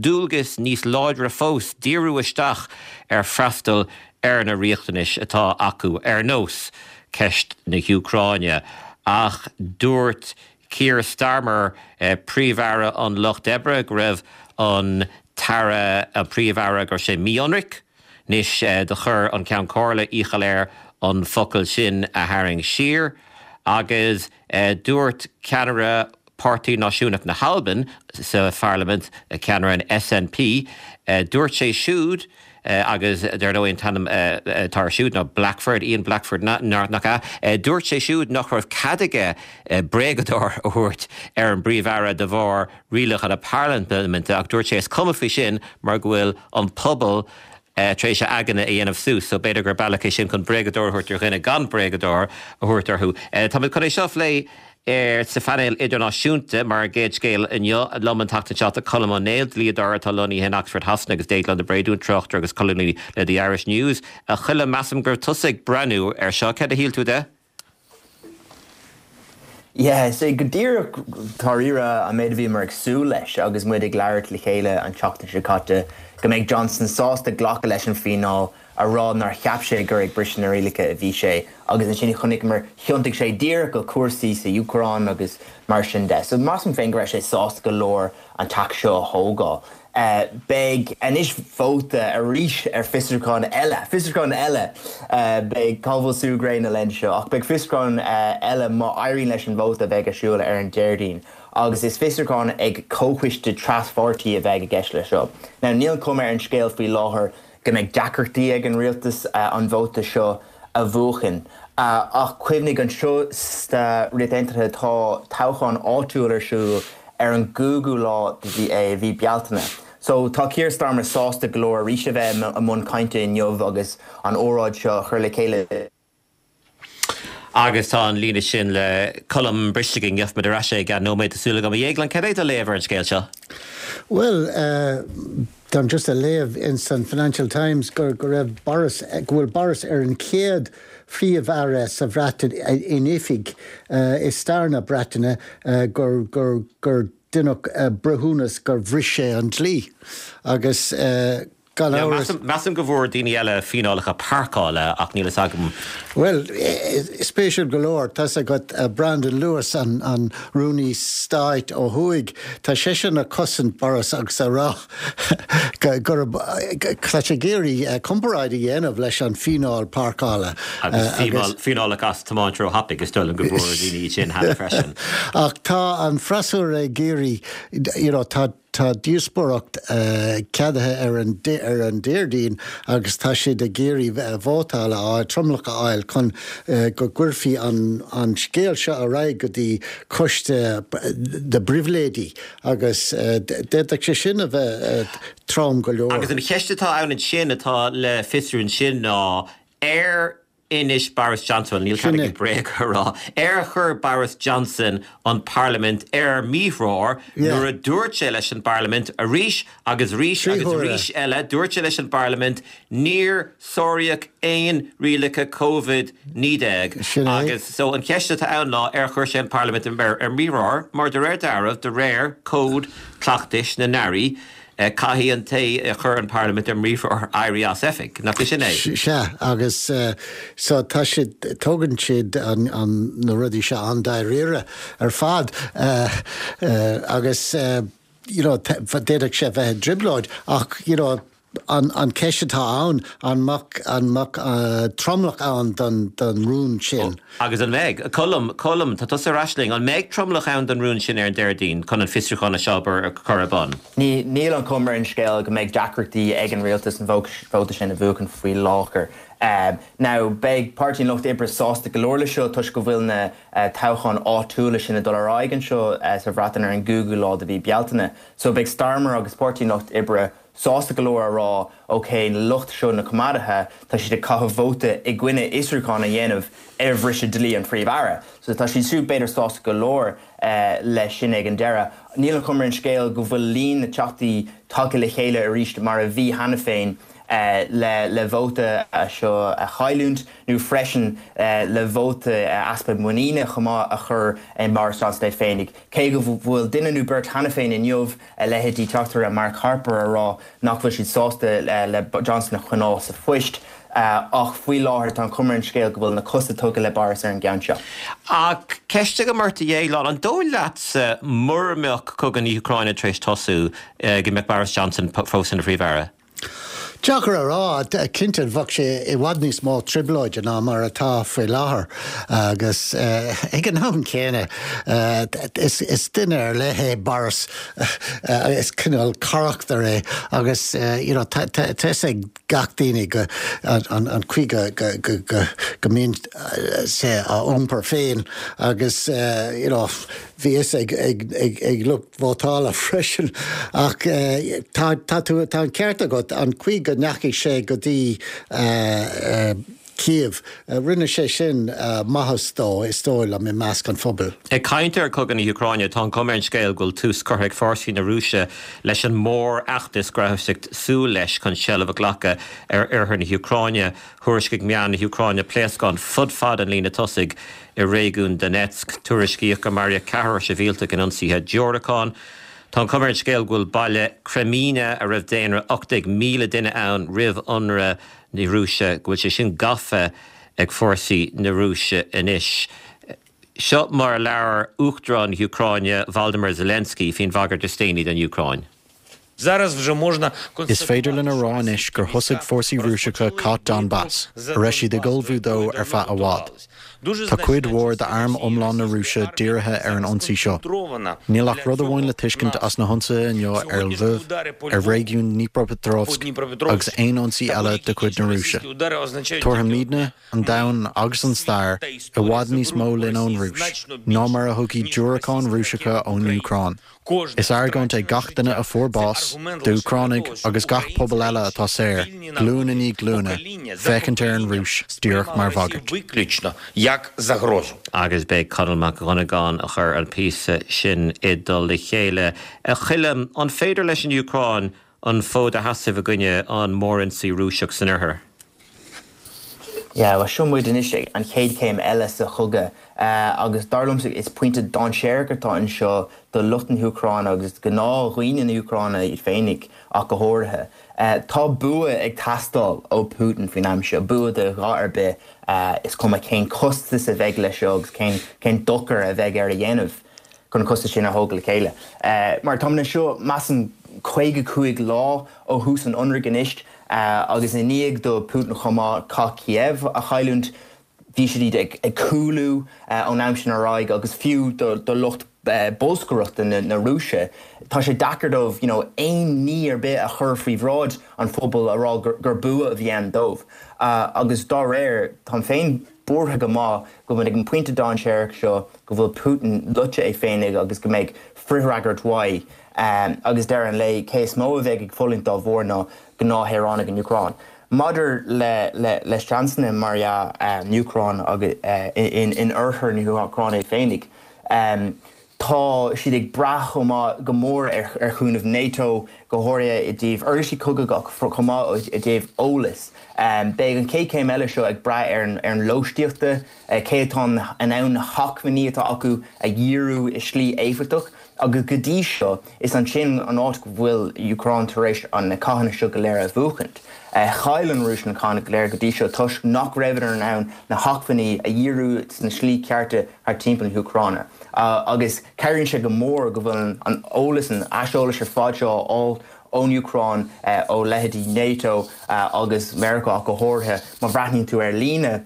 dualgas níos láidre fós díriú isteach ar freastal ar na riachtanais atá acu ar nós ceist na hÚcráine. Ach dúirt Keir Starmer eh, príomh-aire an Lucht Oibre go raibh an tAire an príomh-aire go raibh sé mí-ionraic, Anois eh, do chuir an Ceann Comhairle iachall air an focal sin a tharraingt siar. agus eh, dúirt ceannaire Páirtí Náisiúnach na hAlban sa Pharlaimint ceannaire an SNP, eh, dúirt sé siúd eh, agus dar ndóigh an t-ainm atá air siúd ná Blackford Ian Blackford nach ea dúirt sé siúd nach raibh cead aige bréagadóir a thabhairt ar an bPríomh-Aire de bharr rialacha na parlaiminte ach dúirt sé is cuma faoi sin mar go bhfuil an pobal tar éis a aigne a dhéanamh suas, so b'fhéidir gur bealach é sin chun bréagadóir a thabhairt ar dhuine gan bréagadóir a thabhairt orthu. Táimid chun é seo a phlé ar sa phainéal idirnáisiúnta mar an gcéad scéal inniu liom an tseachtain seo tá Colm Ó Néill dlíodóir atá lonnaithe in Oxford Shasana agus Déaglán de Bréadún tráchtaire agus colúnaí le The Irish News. A Choilm measaim gur tusa ag breathnú ar seo céard a shíl tú de? Yeah, sé go díreach dáiríre an méid a bhíomar ag súil leis agus muid ag labhairt le chéile an tseachtain seo caite go mbeidh Johnson sásta glacadh leis an bhfíneáil a rá nár cheap sé gur ag briseadh na rialacha a bhí sé agus ansin chonaiceamar thiontaigh sé díreach go cúrsaí sa Úcráin agus mar sin de. So measaim féin go raibh sé sásta go leor an tac seo a thógáil. Uh, beidh anois vóta arís ar fiosrúchán eile, fiosrúchán eile uh, beidh cá bhfuil sú gréine len seo, ach beidh fiosrúchán uh, eile má éiríonn leis an vóta bheidh ar siúl ar an Déardaoin. agus is fiosrúchán ag comhchoiste traspháirtí a bheidh i gceist le seo. Now níl cuma ar an scéal faoi láthair go mbeidh deacrachtaí ag an rialtas uh, an vóta seo a bhuachan. Uh, ach cuimhnigh anseo sa Ríocht Aontaithe tá toghchán áitiúil ar siúl ar an gcúigiú lá de mhí Bealtaine. So tá Keir Starmer sásta go leor arís a bheith i mbun cainte inniu agus an óráid seo chur le chéile. Agus tá an líne sin le Colm briste againn gheobhaimid ar ais é i gceann nóiméad tá súil agam a Dhéagláin cad é do léamh ar an scéal seo. Well, uh, Táim just a léamh in san Financial Times gur go raibh Boris go bhfuil Boris ar an chéad phríomh-aire sa Bhreatain in oifig uh, i stair na Breataine uh, gur gur gur deineadh uh, breithiúnas gur bhris sé an dlí agus uh, gan amhras. Measaim go bhfuair daoine eile fíneálacha páirceála ach níl a fhios agam. Well, spéisiúil go leor tá agat uh, Brandon Lewis an, an rúnaí stáit ó thuaidh Tá seisean ag cosaint Boris agus a rá gur tá sé ag iarraidh comparáid a dhéanamh leis an fíneáil páirceála. Agus fíneálacha as tiomáint róthapaidh is dóigh liom go bhfuair daoine sin cheana freisin. Ach tá an freasúra ag iarraidh you know, tá Tá díospóireacht ceadaithe ar an ar an Déardaoin agus tá siad ag iarraidh vótáil a fháil, tromlach a fháil chun go gcuirfí an an scéal seo ar aghaidh go dtí coiste na bpribhléidí agus d'fhéadfadh sé sin a bheith trom go leor. Agus an cheist atá ann ansin atá le fiosrú ansin ná ar inis Boris Johnson, níl cead aige bréag a rá, ar chuir Boris Johnson an Parlaimint ar míthreoir nuair a dúirt sé leis an bParlaimint arís agus arís agus arís eile, dúirt sé leis an bParlaimint níor sáraíodh aon rialacha Covid naoi déag agus so an cheist atá ann ná ar chuir sé an Parlaimint ar ar míthreoir mar de réir dealraimh, de réir cód cleachtais na n-airí, Caithfidh an té a chuir an Parlaimint ar míthreoir éirí as oifig, nach é sin é? Sea, agus so tá siad, tógann siad an, an, na rudaí seo an-dáiríre ar fad agus you know, d'fhéadfadh sé bheith i dtrioblóid ach you know, an, an ceist atá ann, an mbeadh, an mbeadh tromlach ann don, don rún sin? Agus an mbeidh? Colm, Colm, tá tusa ar ais linn. An mbeidh tromlach ann don rún sin ar an Déardaoin chun an fiosrúchán seo a chur ar bun? Ní, níl an chuma ar an scéal go mbeidh deacrachtaí ag an rialtas an vóta sin a bhuachan faoi láthair. Now, beidh Páirtí an Lucht Oibre sásta go leor le seo toisc go bhfuil na toghcháin áitiúla sin ag dul ar aghaidh anseo sa Bhreatain ar an gcúigiú lá de mhí Bealtaine. So beidh Starmer agus Páirtí an Lucht Oibre sásta go leor a rá, ok, na lucht seo, na Coimeádaithe, tá siad ag caitheamh vóta i gcoinne fhiosrúchán a dhéanamh ar bhriseadh dlí an Phríomh-Aire. So tá siad siúd b'fhéidir sásta go leor leis sin ag an deireadh. Níl an chuma ar an scéal go bhfuil líon na dteachtaí tagtha le chéile arís mar a bhí cheana féin le le vóta seo a chailliúint nó freisin le vóta easpa muiníne chomh maith a chur i mBoris Johnson é féinig. Cé go bhfuil duine nó beirt cheana féin inniu, a leithéidí Teachtaire Mark Harper a rá nach bhfuil siad sásta le Johnson a choinneáil sa phoist, ach faoi láthair tá an chuma ar an scéal go bhfuil na cosa tugtha le Boris ar an gceann seo. Ach ceist agam ort a Dhéagláin, an dóigh leatsa mura mbeadh cogadh na hÚcráine tar éis tosú go mbeadh Boris Johnson fós ina Phríomh-Aire? Deacair a rá, cinnte bheadh sé i bhfad níos mó trioblóide ná mar atá faoi láthair agus ag an am céanna is duine ar leith é Boris, is cineál carachtar é agus you know tá a fhios ag gach daoine go an chaoi go go mbíonn sé á iompar féin agus you know bhí fhios ag ag ag lucht vótála freisin ach tá tá tú tá an ceart agat an chaoi go ndeachaigh sé go dtí Kiev rinne sé sin maitheas dó is dóigh liom i measc an phobail. Ag caint ar chogadh na hÚcráine, tá an chuma ar an scéal go bhfuil tús curtha ag fórsaí na Rúise leis an mórfheachtas go rabhthas ag súil leis chun seilbh a ghlacadh ar oirthear na hÚcráine. Thuairiscigh meáin na hÚcráine pléascáin fud fad an líne tosaigh i réigiún Donetsk. Tuairiscíodh gur maraíodh ceathrar sibhialtach in ionsaithe diúracán. Tá an chuma ar an scéal go bhfuil baile Kreminna, a raibh daonra ocht déag míle duine ann roimh ionradh na Rúise, go bhfuil sé sin gafa ag fórsaí na Rúise anois. Seo mar a labhair Uachtarán na hÚcráine Volodymyr Zelensky faoin bhagairt is déanaí don Úcráin. Is féidir linn a rá anois gur thosaigh fórsaí Rúiseacha Cath Donbas, a raibh siad ag ullmhú dó ar feadh i bhfad. Tá cuid mhór d'arm iomlán na Rúise dírithe ar an ionsaí seo. Níl ach rud amháin le tuiscint as na hionsaithe inniu ar Lviv, ar réigiún Dnipropetrovsk agus aon ionsaí eile de chuid na Rúise. Tabharfaimidne, an domhan agus an stair, i bhfad níos mó linn ón Rúis ná mar a thiocfaidh diúracáin Rúiseacha ón Úcráin. Is argóint é gach duine a fuair bás, d'Úcránaigh agus gach pobal eile atá saor, glúin i ndiaidh glúine, féachaint ar an Rúis díreach mar bhagairt. Agus b'é Conall Mac Dhonnagáin a chuir an píosa sin i dtoll a chéile. A Choilm, an féidir leis an Úcráin an fód a sheasamh i gcoinne an mhórionsaí Rúiseach san oirthear? Yeah, bhuel seo muid anois ag an chéad chéim eile sa chogadh agus dar liomsa is pointe dainséarach atá anseo do lucht na hÚcráine agus gnáthdhaoine na hÚcráine iad féinig ach go háirithe. Tá bua ag teastáil ó Putin faoin am seo, bua de dhath ar bith, is cuma cén costas a bheidh leis seo agus cén cén dochar a bheidh air a dhéanamh chun an costas sin a thógáil le chéile. Mar táimid anseo, measaim, caoga cúig lá ó thús an ionraidh anois agus i ndiaidh do Putin chomh maith cath Kiev a chailliúint, bhí siad ag cúlú ón am sin ar aghaidh agus fiú do lucht bolscaireachta na Rúise, tá sé deacair dóibh you know, aon ní ar bith a chur faoi bhráid an phobail a rá gur, gur bua a bhí ann dóibh. Uh, agus dá réir táim féin buartha go maith go bhfuil ag an pointe dainséarach seo go bhfuil Putin loite é féinig agus go mbeidh frithfhreagairt uaidh um, agus deireadh an lae cé is mó a bheidh ag fulaingt dá bharr ná gnáthshaoránaigh an Úcráin. Maidir le le le seansanna mar uh, an Úcráin agus uh, in, in oirthear na hÚcráine féinig. Um, tá siad ag brath go mór ar, ar chúnamh NATO go háirithe i dtaobh uirlisí cogaidh chomh maith i dtaobh eolas. Um, Beidh an chéad chéim eile seo ag brath ar an, ar an lóistíochta, uh, cé atá in ann na hacmhainní atá acu a dhíriú i slí éifeachtach, agus go dtí seo is ansin an áit go bhfuil Úcráin tar éis an na cathanna seo go léir a bhuachaint. Uh, Chaill an Rúis na cathanna go léir go dtí seo toisc nach raibh in ann na hacmhainní a dhíriú sna slí cearta thar timpeall na hÚcráine. Uh, agus cabhraíonn sé go mór go bhfuil an eolas an aiseolas ar fad seo á ón Úcráin uh, ó leithéidí NATO uh, agus Meiriceá go háirithe má bhreathnaíonn tú ar líne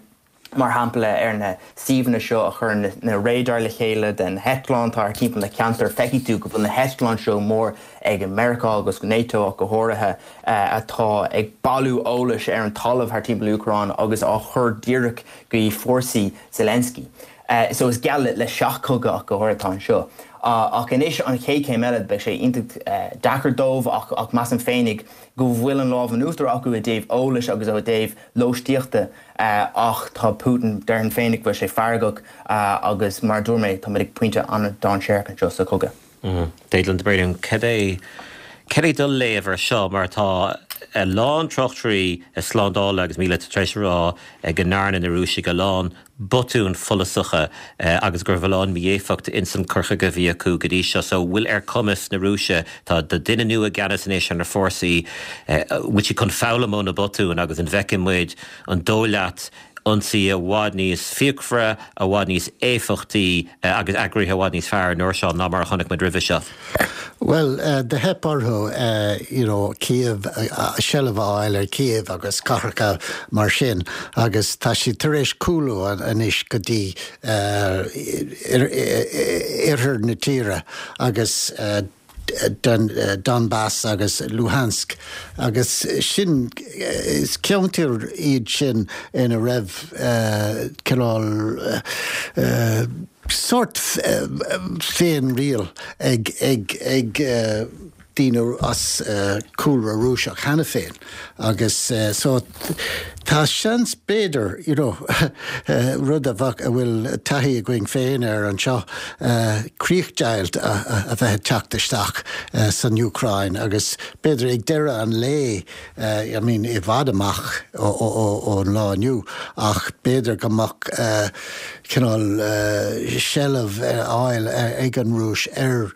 mar shampla ar na suíomhanna seo a chur na, na radar le chéile den heitleán thar timpeall na ceantar feicfidh tú go bhfuil na heitleáin seo mór ag Meiriceá agus NATO ach go háirithe uh, atá ag bailiú eolais ar an talamh thar timpeall Úcráin agus á chur díreach go fórsaí Zelensky. Uh, so is geall le seachchogadh ach go háirithe anseo. Uh, ach anois an chéad chéim eile beidh sé iontach uh, deacair dóibh ach, ach measaim féinig go bhfuil an lámh in uachtar acu i dtaobh eolais agus ó dtaobh lóistíochta uh, ach tá Putin déarfainn féinig bhfuil sé feargach uh, agus mar dúirt mé tá ag pointe an-dainséarach anseo sa chogadh. Mm. Déidlan de Bréan cad é cad é do léamh air seo mar tá a lán tráchtairí slándála agus míleata tar éis rá go ndearna na Rúisigh a lán botúin follasacha agus gur bhfuil a lán mí-éifeacht in san cur chuige a bhí acu go dtí seo so bhfuil ar cumas na Rúise tá de duine nua i gceannas anois ar na fórsaí bhfuil siad chun foghlaim ó na botúin agus an bhfeicfidh muid an dóigh leat ionsaí i bhfad níos fíochmhaire i bhfad níos éifeachtaí agus eagraithe i bhfad níos fearr an uair seo ná mar a chonaic muid roimhe seo. Well, uh, do theip orthu uh, you know, Kiev uh, seilbh a fháil ar Kiev agus cathracha mar sin agus tá siad tar éis cúlú anois go dtí uh, oirthear na tíre agus uh, Don, uh, Donbass agus Luhansk agus sin is ceantair iad sin ina raibh uh, cineál uh, uh, sórt uh, féinriail ag ag ag uh, daoine as uh, cúlra Rúiseach cheana féin agus uh, so tá seans b'fhéidir you know, uh, rud a bheadh a bhfuil taithí againn féin ar anseo uh, críochdheighilt a, a, a bheith teacht isteach uh, san Úcráin agus b'fhéidir ag deireadh an lae uh, I mean, i bhfad amach ón lá inniu ach b'fhéidir go mbeadh uh, cineál uh, seilbh a fháil ag an Rúis ar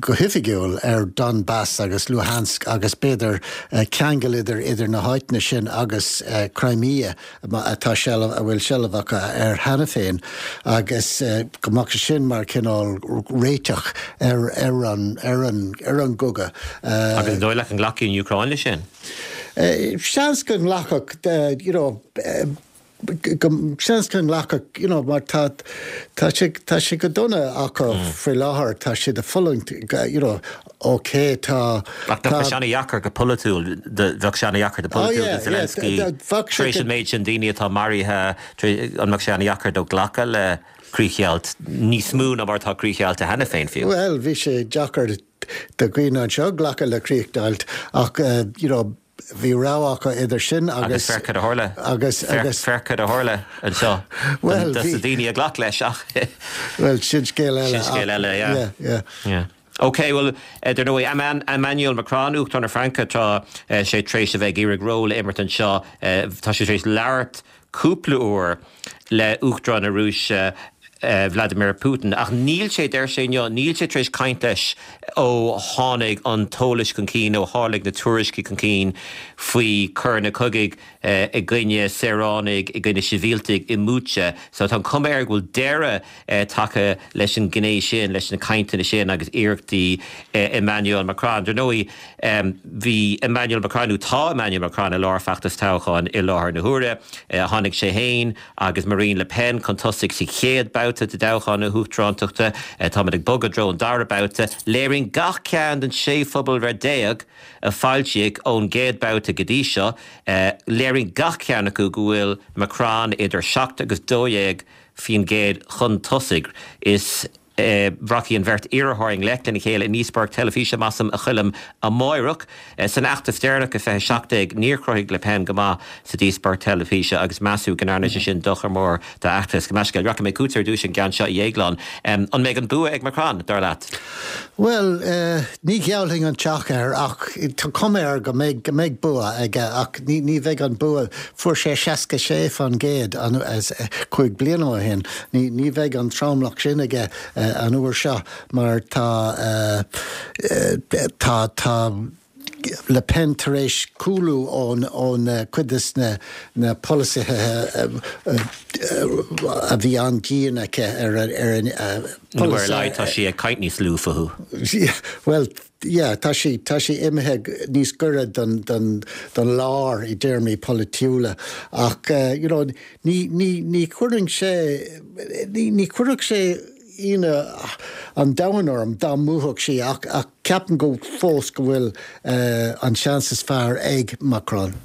go hoifigiúil ar Donbass agus Luhansk agus b'fhéidir uh, ceangal idir idir na háiteanna sin agus uh, Crimea atá seilbh a bhfuil seilbh acu air cheana féin agus uh, go mbeadh sin mar cineál réiteach ar ar an ar an ar an gcogadh. Uh, agus dóigh leat an nglacfaidh an Úcráin leis sin? Uh, seans go nglacfadh uh, you know, uh, seans go nglacfadh you know, mar tá tá sé tá sé go dona acu mm. faoi láthair tá sé ag fulaingt you know, ok tá Ach tá sé an-deacair go polaitiúil bheadh sé an-deacair go polaitiúil oh, Zelensky tar éis an méid sin daoine atá maraithe an mbeadh sé an-deacair dó glacadh le críochdheighilt níos mó ná mar tá críochdheighilte cheana féin fiú. Well, bhí sé deacair do dhaoine anseo glacadh le críochdheighilt ach uh, you know, bhí rogha acu idir sin agus agus féach a tharla agus agus féach a tharla anseo well daoine a ghlac leis ach well sin scéal eile sin scéal eile yeah. yeah, yeah. yeah. Ok, well uh, dar ndóigh Emmanuel Macron Uachtarán na Fraince tá uh, sé tar éis a bheith ag iarraidh ról a imirt anseo uh, tá sé tar éis labhairt cúpla uair le Uachtarán na Rúise uh, Vladimir Putin ach níl sé deir sé inniu níl sé tar éis caint leis ó tháinig an t-eolas chun cinn ó tháinig na tuairiscí chun cinn faoi choireanna cogaidh uh, i gcoinne saoránaigh i gcoinne sibhialtaigh i mBucha so tá cuma air go bhfuil deireadh uh, tagtha leis an gné sin leis na cainteanna sin agus iarrachtaí uh, Emmanuel Macron. Dar ndóigh um, bhí Emmanuel Macron nó tá Emmanuel Macron i lár feachtas toghcháin i láthair na huaire uh, tháinig sé féin agus Marine Le Pen chun tosaigh sa chéad bhabhta babhta de thoghchán na huachtarántachta táimid ag bogadh i dtreo an dara babhta, léiríonn gach ceann den sé phobalbhreith déag a foilsíodh ón gcéad babhta go dtí seo, léiríonn gach ceann acu go bhfuil Macron idir seacht agus dó dhéag faoin gcéad chun tosaigh. Is rachaidh an bheirt iarrthóir i ngleic lena chéile i ndíospóireacht teilifíse, measaim, a Choilm, amáireach. San fheachtas deireanach i fiche seacht déag, níor chruthaigh Le Pen go maith sa díospóireacht teilifíse agus measadh go ndearna sé sin dochar mór dá fheachtas. Gabh mo leithscéal, rachaidh mé chugat ar dtús an gceann seo, a Dhéagláin. An mbeidh an bua ag Macron, dar leat? Bhuel, ní gheallfainn an teach air ach tá cuma air go mbeidh go mbeidh bua aige ach ní ní bheidh an bua, fuair sé seasca sé faoin gcéad cúig bliana ó shin, ní ní bheidh an tromlach sin aige an uair seo mar tá tá tá Le Pen tar éis cúlú ón ón cuid de na na polasaithe a bhí an-dian aici ar ar an Nó ar a laghad tá sí ag caint níos lú fúthu. Bhuel, yeah, tá sí tá sí imithe níos gaire don don don lár i dtéarmaí polaitiúla ach you know ní ní ní chuirfeadh sé ní ní chuirfeadh sé ionadh an domhain orm dá mbuafadh sí ach ach ceapaim go fós go bhfuil an seans is fearr ag Macron.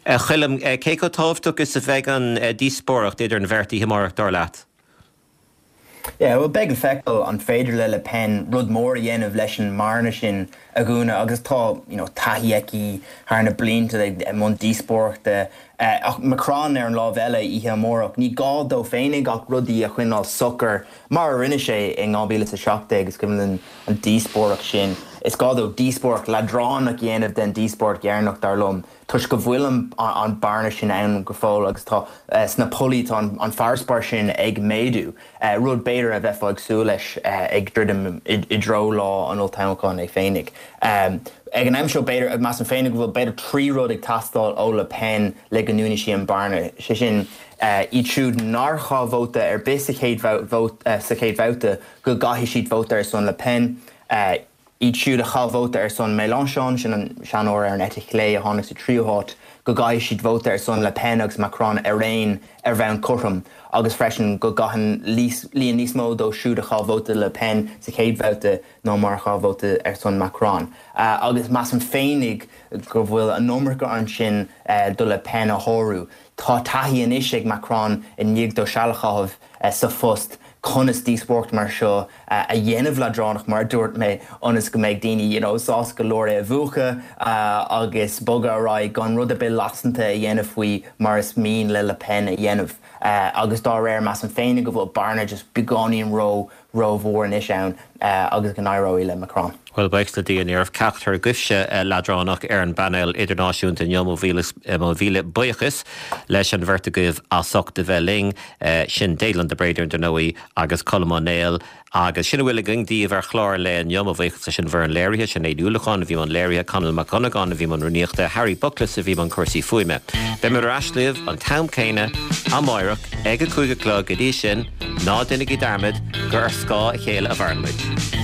A Choilm, cé chomh tábhachtach is a bheidh an díospóireacht idir an bheirt oíche amárach dar leat? Yeah, well beidh le feiceáil an féidir le Le Pen rud mór a dhéanamh leis an mbearna sin a dhúnadh agus tá you know, taithí aici thar na blianta i mbun díospóireachta ach Macron ar an lámh eile oíche amárach, ní gá dó féinig ach rudaí a choinneáil socair mar a rinne sé in dhá mhíle is a seacht déag is cuimhin linn an díospóireacht sin. Is gá dó díospóireacht leadránach a dhéanamh den díospóireacht dheireanach dar liom toisc go bhfuil an bearna sin ann go fóill agus tá sna pollaí tá an farasbarr sin ag méadú, rud b'fhéidir a bheifeá ag súil leis ag druidim i dtreo lá an olltoghcháin é féinig. Ag an am seo b'fhéidir, measaim féinig go bhfuil b'fhéidir trí rud ag teastáil ó Le Pen le go ndúnfaidh sí an bearna, sé sin iad siúd nár chaith vóta ar bith sa chéad sa chéad bhabhta go gcaithfidh siad vóta ar son Le Pen, iad siúd a chaith vóta ar son Mélenchon, sin an seanóir ar an eite chlé a tháinig sa tríú háit, go gcaithfidh siad vóta ar son Le Pen agus Macron araon ar bhonn cothrom agus freisin go gcaitheann líon níos mó dóibh siúd a chaith vóta Le Pen sa chéad bhabhta ná mar a chaith vóta ar son Macron. Agus measaim féinig go bhfuil an iomarca ansin do Le Pen a shárú. Tá taithí anois ag Macron i ndiaidh dó seal a chaitheamh sa phost conas díospóireacht mar seo a dhéanamh leadránach mar a dúirt mé ionas go mbeidh daoine you know sásta go leor é a mhúchadh agus bogadh ar aghaidh gan rud ar bith lasanta a dhéanamh faoi mar is mian le Le Pen a dhéanamh agus dá réir measaim féinig go bhfuil bearna just beagáinín ró rómhór anois ann agus go n-éireoidh le Macron. Bhuel, buíochas le Dia ní raibh ceachtar agaibhse leadránach ar an bpainéal idirnáisiúnta inniu. Mo mhíle mo mhíle buíochas leis an bheirt agaibh as ucht a bheith linn, sin Déaglán de Bréadún dar ndóigh agus Colm Ó Néill. Agus sin a bhfuil againn daoibh ar chlár an lae inniu. Mo bhuíochas leis an bhfoireann léirithe, Sinéad Ní Uallacháin a bhí i mbun léirithe, Conall Mac Dhonnagáin a bhí i mbun rúnaíochta, Harry Buckles a bhí i mbun cúrsaí fuaime. Beimid ar ais libh an t-am céanna amáireach ag a cúig a chlog go dtí sin, ná déanaigí dearmad gur ar scáth a chéile a mhaireann muid.